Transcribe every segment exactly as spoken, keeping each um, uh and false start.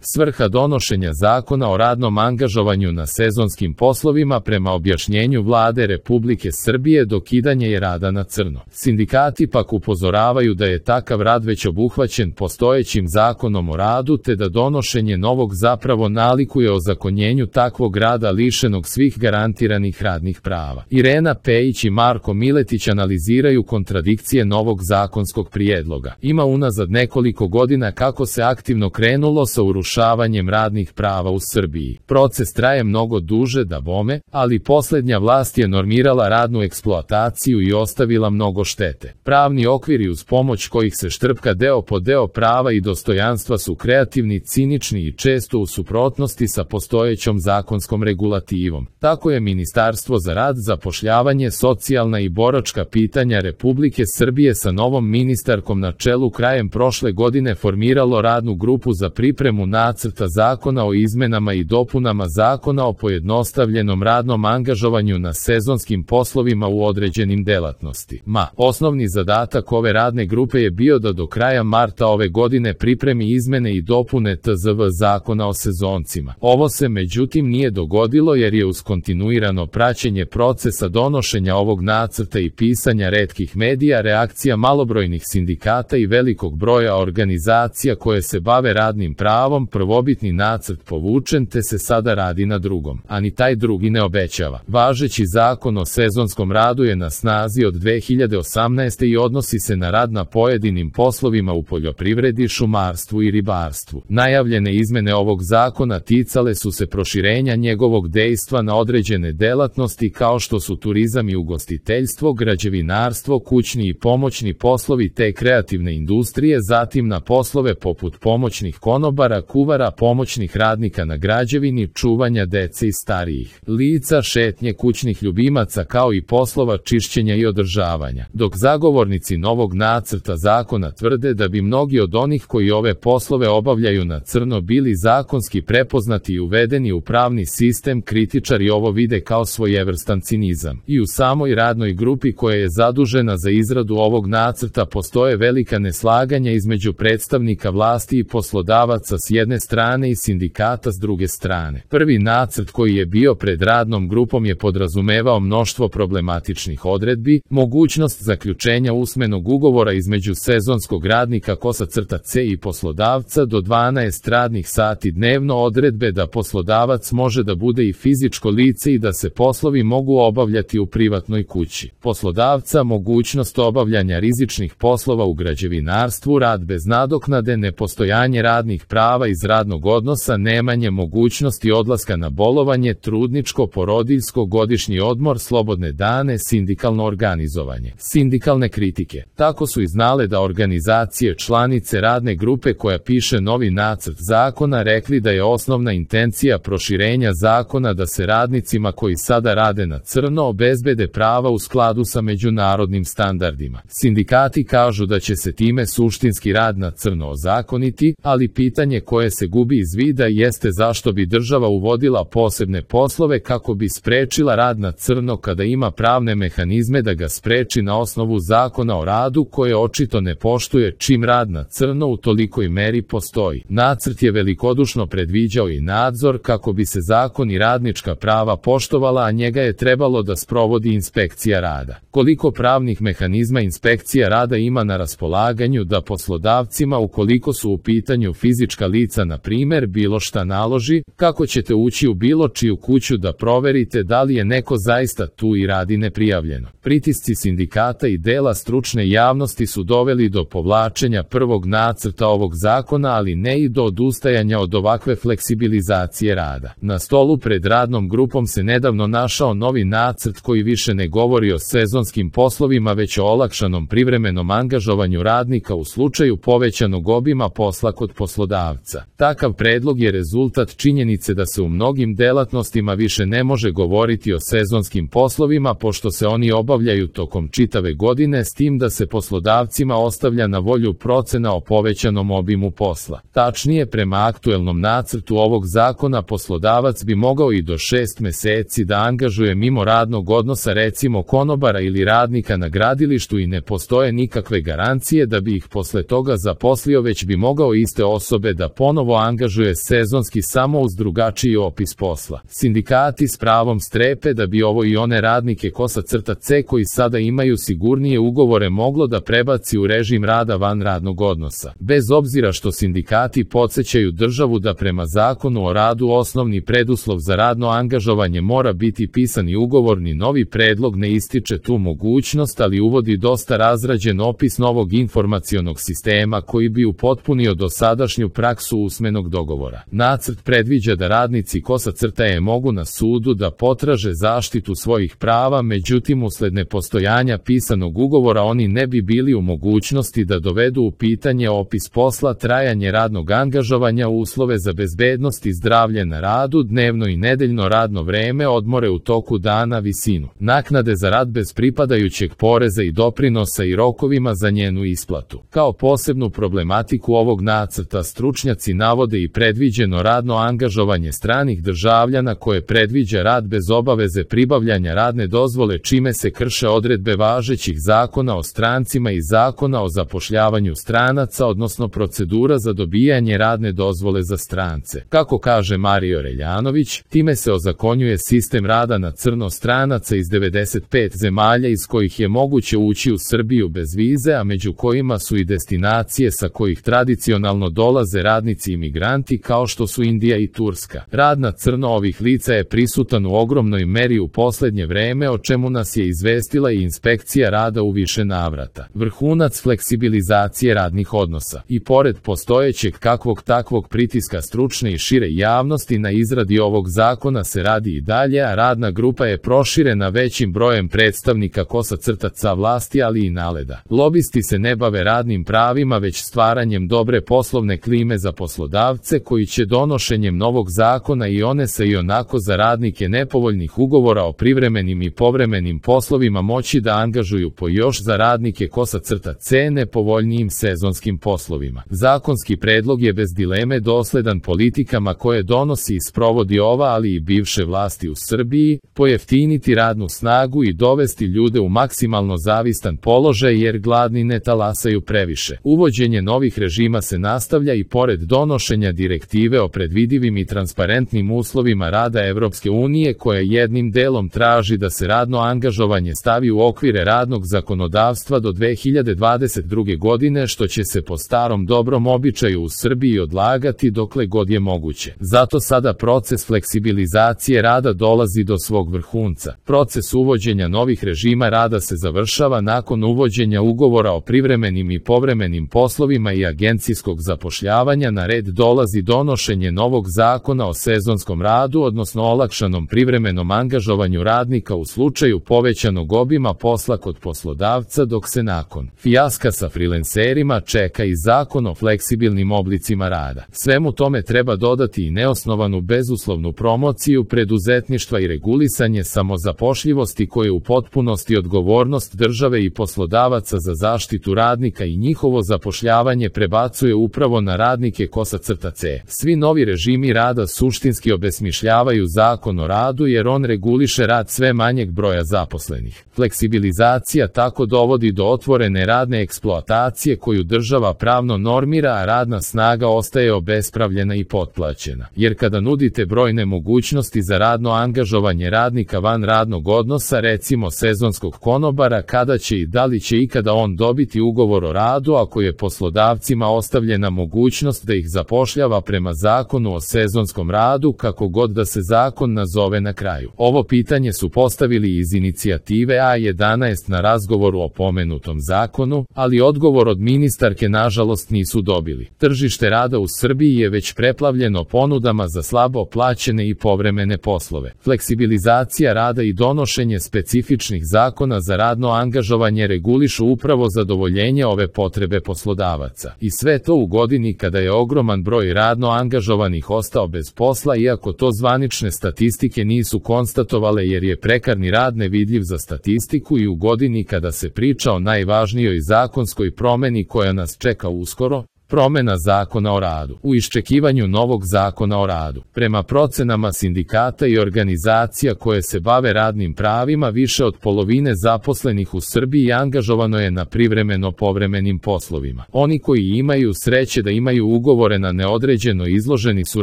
Svrha donošenja zakona o radnom angažovanju na sezonskim poslovima prema objašnjenju Vlade Republike Srbije dokidanje je rada na crno. Sindikati pak upozoravaju da je takav rad već obuhvaćen postojećim zakonom o radu te da donošenje novog zapravo nalikuje ozakonjenju takvog rada lišenog svih garantiranih radnih prava. Irena Pejić i Marko Miletić analiziraju kontradikcije novog zakonskog prijedloga. Ima unazad nekoliko godina kako se aktivno krenulo sa urušavanjem radnih prava u Srbiji. Proces traje mnogo duže da bome, ali posljednja vlast je normirala radnu eksploataciju i ostavila mnogo štete. Pravni okviri uz pomoć kojih se štrpka deo po deo prava i dostojanstva su kreativni, cinični i često u suprotnosti sa postojećom zakonskom regulativom. Tako je Ministarstvo za rad, zapošljavanje, socijalna i boračka pitanja Republike Srbije sa novom ministarkom na čelu krajem prošle godine formiralo radnu grupu za pripremu nacrta zakona o izmenama i dopunama zakona o pojednostavljenom radnom angažovanju na sezonskim poslovima u određenim delatnostima. Osnovni zadatak ove radne grupe je bio da do kraja marta ove godine pripremi izmene i dopune T Z V zakona o sezoncima. Ovo se međutim nije dogodilo jer je uz kontinuirano praćenje procesa donošenja ovog nacrta i pisanja retkih medija, reakcija malobrojnih sindikata i velikog broja organizacija koje se bave radnim pravom, prvobitni nacrt povučen te se sada radi na drugom, a ni taj drugi ne obećava. Važeći zakon o sezonskom radu je na snazi od dve hiljade osamnaeste. i odnosi se na rad na pojedinim poslovima u poljoprivredi, šumarstvu i ribarstvu. Najavljene izmene ovog zakona ticale su se proširenja njegovog dejstva na određene delatnosti kao što su turizam i ugostiteljstvo, građevinarstvo, kućni i pomoćni poslovi te kreativne industrije, zatim na poslove poput pomoćnih konobara, kuvara, pomoćnih radnika na građevini, čuvanja dece i starijih lica, šetnje kućnih ljubimaca kao i poslova čišćenja i održavanja. Dok zagovornici novog nacrta zakona tvrde da bi mnogi od onih koji ove poslove obavljaju na crno bili zakonski prepoznati i uvedeni u pravni sistem, kritičari ovo vide kao svojevrstan cinizam. I u samoj radnoj grupi koja je zadužena za izradu ovog nacrta postoje velika neslaganja između predstavnika vlasti i poslodavaca s jedne strane i sindikata s druge strane. Prvi nacrt koji je bio pred radnom grupom je podrazumevao mnoštvo problematičnih odredbi, mogućnost zaključenja usmenog ugovora između sezonskog radnika kosa crta C i poslodavca do dvanaest radnih sati dnevno, odredbe da poslodavac može da bude i fizičko lice i da se poslovi mogu obavljati u privatnoj kući poslodavca, mogućnost obavljanja rizičnih poslova u građevinarstvu, rad bez nadoknade, nepostojanje radnih prava iz radnog odnosa, nemanje mogućnosti odlaska na bolovanje, trudničko, porodiljsko, godišnji odmor, slobodne dane, sindikalno organizovanje. Sindikalne kritike. Tako su i znale da organizacije članice radne grupe koja piše novi nacrt zakona rekli da je osnovna intencija proširenja zakona da se radnicima koji sada rade na crno obezbede prava u skladu sa međunarodnim standardima. Sindikati kažu da će se time suštinski rad na crno ozakoniti, ali pitanje koje se gubi iz vida jeste zašto bi država uvodila posebne poslove kako bi sprečila rad na crno kada ima pravne mehanizme da ga spreči na osnovu zakona o radu koje očito ne poštuje čim rad na crno u tolikoj meri postoji. Nacrt je velikodušno predviđao i nadzor kako bi se zakon i radnička prava poštovala, a njega je trebalo da sprovodi inspekcija rada. Koliko pravnih mehanizma inspekcija rada ima na raspolaganju da poslodavcima ukoliko su u pitanju fizička lica na primjer bilo šta naloži, kako ćete ući u bilo čiju kuću da proverite da li je neko zaista tu i radi neprijavljeno. Pritisci sindikata i dela stručne javnosti su doveli do povlačenja prvog nacrta ovog zakona, ali ne i do odustajanja od ovakve fleksibilizacije rada. Na stolu pred radnom grupom se nedavno našao novi nacrt koji više ne govori o sezonskim poslovima već o olakšanom privremenom angažovanju radnika u slučaju povećanog obima posla kod poslodavca. Takav predlog je rezultat činjenice da se u mnogim delatnostima više ne može govoriti o sezonskim poslovima pošto se oni obavljaju tokom čitave godine, s tim da se poslodavcima ostavlja na volju procena o povećanom obimu posla. Tačnije, prema aktuelnom nacrtu ovog zakona poslodavac bi mogao i do šest meseci da angažuje mimo radnog odnosa recimo konobara ili radnika na gradilištu i ne postoje nikakve garancije da bi ih posle toga zaposlio, već bi mogao iste osobe da ponovno ponovo angažuje sezonski samo uz drugačiji opis posla. Sindikati s pravom strepe da bi ovo i one radnike Kosa-C koji sada imaju sigurnije ugovore moglo da prebaci u režim rada van radnog odnosa. Bez obzira što sindikati podsjećaju državu da prema Zakonu o radu osnovni preduslov za radno angažovanje mora biti pisani ugovorni, novi predlog ne ističe tu mogućnost, ali uvodi dosta razrađen opis novog informacionog sistema koji bi upotpunio dosadašnju praksu usmenog dogovora. Nacrt predviđa da radnici Kosa-C mogu na sudu da potraže zaštitu svojih prava, međutim usled nepostojanja pisanog ugovora oni ne bi bili u mogućnosti da dovedu u pitanje opis posla, trajanje radnog angažovanja, uslove za bezbednost i zdravlje na radu, dnevno i nedeljno radno vreme, odmore u toku dana, visinu naknade za rad bez pripadajućeg poreza i doprinosa i rokovima za njenu isplatu. Kao posebnu problematiku ovog nacrta stručnjaci navode i predviđeno radno angažovanje stranih državljana koje predviđa rad bez obaveze pribavljanja radne dozvole, čime se krše odredbe važećih zakona o strancima i zakona o zapošljavanju stranaca, odnosno procedura za dobijanje radne dozvole za strance. Kako kaže Mario Reljanović, time se ozakonjuje sistem rada na crno stranaca iz devedeset pet zemalja iz kojih je moguće ući u Srbiju bez vize, a među kojima su i destinacije sa kojih tradicionalno dolaze radnici imigranti kao što su Indija i Turska. Rad na crno ovih lica je prisutan u ogromnoj meri u poslednje vreme, o čemu nas je izvestila i inspekcija rada u više navrata. Vrhunac fleksibilizacije radnih odnosa. I pored postojećeg kakvog takvog pritiska stručne i šire javnosti na izradi ovog zakona se radi i dalje, a radna grupa je proširena većim brojem predstavnika Kosa-C vlasti, ali i naleda. Lobisti se ne bave radnim pravima, već stvaranjem dobre poslovne klime za poslodavce koji će donošenjem novog zakona i one sa i onako za radnike nepovoljnih ugovora o privremenim i povremenim poslovima moći da angažuju po još za radnike Kosa-C nepovoljnijim sezonskim poslovima. Zakonski predlog je bez dileme dosledan politikama koje donosi i sprovodi ova, ali i bivše vlasti u Srbiji, pojeftiniti radnu snagu i dovesti ljude u maksimalno zavistan položaj jer gladni ne talasaju previše. Uvođenje novih režima se nastavlja i pored donošenja direktive o predvidivim i transparentnim uslovima rada Evropske unije koja jednim delom traži da se radno angažovanje stavi u okvire radnog zakonodavstva do dve hiljade dvadeset druge godine, što će se po starom dobrom običaju u Srbiji odlagati dokle god je moguće. Zato sada proces fleksibilizacije rada dolazi do svog vrhunca. Proces uvođenja novih režima rada se završava nakon uvođenja ugovora o privremenim i povremenim poslovima i agencijskog zapošljavanja. Na red dolazi donošenje novog zakona o sezonskom radu, odnosno olakšanom privremenom angažovanju radnika u slučaju povećanog obima posla kod poslodavca, dok se nakon fijaska sa frilenserima čeka i zakon o fleksibilnim oblicima rada. Svemu tome treba dodati i neosnovanu bezuslovnu promociju preduzetništva i regulisanje samozapošljivosti koje u potpunosti odgovornost države i poslodavaca za zaštitu radnika i njihovo zapošljavanje prebacuje upravo na radnike Kosa-C. Svi novi režimi rada suštinski obesmišljavaju zakon o radu jer on reguliše rad sve manjeg broja zaposlenih. Fleksibilizacija tako dovodi do otvorene radne eksploatacije koju država pravno normira, a radna snaga ostaje obespravljena i potplaćena. Jer kada nudite brojne mogućnosti za radno angažovanje radnika van radnog odnosa, recimo sezonskog konobara, kada će i da li će ikada on dobiti ugovor o radu ako je poslodavcima ostavljena mogućnost da ih zapošljava prema zakonu o sezonskom radu, kako god da se zakon nazove na kraju. Ovo pitanje su postavili iz inicijative A jedanaest na razgovoru o pomenutom zakonu, ali odgovor od ministarke nažalost nisu dobili. Tržište rada u Srbiji je već preplavljeno ponudama za slabo plaćene i povremene poslove. Fleksibilizacija rada i donošenje specifičnih zakona za radno angažovanje regulišu upravo zadovoljenje ove potrebe poslodavaca. I sve to u godini kada je ogroman broj radno angažovanih ostao bez posla, iako to zvanične statistike nisu konstatovale jer je prekarni rad nevidljiv za statistiku, i u godini kada se priča o najvažnijoj zakonskoj promeni koja nas čeka uskoro, Promena zakona o radu. U iščekivanju novog zakona o radu, prema procenama sindikata i organizacija koje se bave radnim pravima, više od polovine zaposlenih u Srbiji angažovano je na privremeno povremenim poslovima. Oni koji imaju sreće da imaju ugovore na neodređeno izloženi su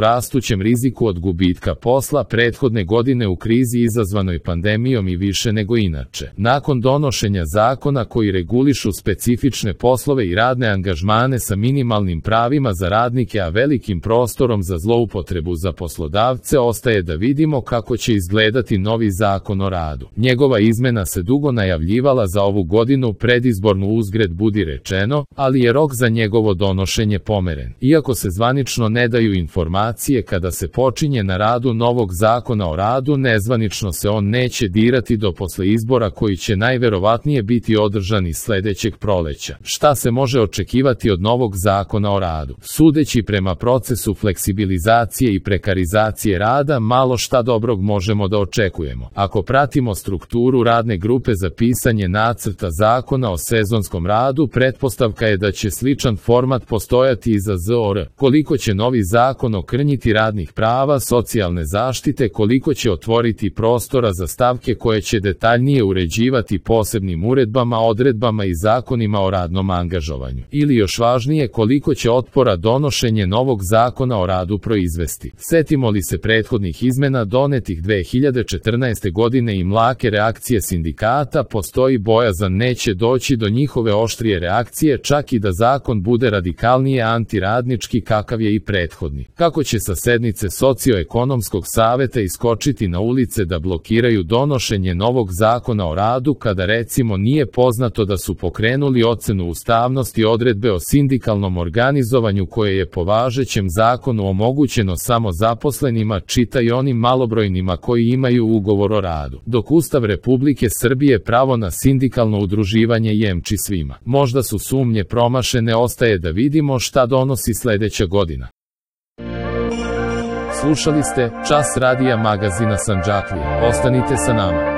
rastućem riziku od gubitka posla prethodne godine u krizi izazvanoj pandemijom i više nego inače. Nakon donošenja zakona koji regulišu specifične poslove i radne angažmane sa minimalnim pravima za radnike, a velikim prostorom za zloupotrebu za poslodavce, ostaje da vidimo kako će izgledati novi zakon o radu. Njegova izmena se dugo najavljivala za ovu godinu, predizbornu uzgred budi rečeno, ali je rok za njegovo donošenje pomeren. Iako se zvanično ne daju informacije kada se počinje na radu novog zakona o radu, nezvanično se on neće dirati do posle izbora koji će najverovatnije biti održani sledećeg proleća. Šta se može očekivati od novog zakona o radu? Sudeći prema procesu fleksibilizacije i prekarizacije rada, malo šta dobrog možemo da očekujemo. Ako pratimo strukturu radne grupe za pisanje nacrta zakona o sezonskom radu, pretpostavka je da će sličan format postojati i za Z O R. Koliko će novi zakon okrnjiti radnih prava, socijalne zaštite, koliko će otvoriti prostora za stavke koje će detaljnije uređivati posebnim uredbama, odredbama i zakonima o radnom angažovanju. Ili još važnije, koliko će otpora donošenje novog zakona o radu proizvesti. Setimo li se prethodnih izmena donetih dve hiljade četrnaeste godine i mlake reakcije sindikata, postoji bojazan neće doći do njihove oštrije reakcije, čak i da zakon bude radikalnije antiradnički kakav je i prethodni. Kako će sa sednice Socioekonomskog saveta iskočiti na ulice da blokiraju donošenje novog zakona o radu kada recimo nije poznato da su pokrenuli ocenu ustavnosti odredbe o sindikalnom organizovanju koje je po važećem zakonu omogućeno samo zaposlenima, čitaj onim malobrojnima koji imaju ugovor o radu, dok Ustav Republike Srbije pravo na sindikalno udruživanje jemči svima. Možda su sumnje promašene, ostaje da vidimo šta donosi sledeća godina. Slušali ste Čas radija magazina Sandžaklija. Ostanite sa nama.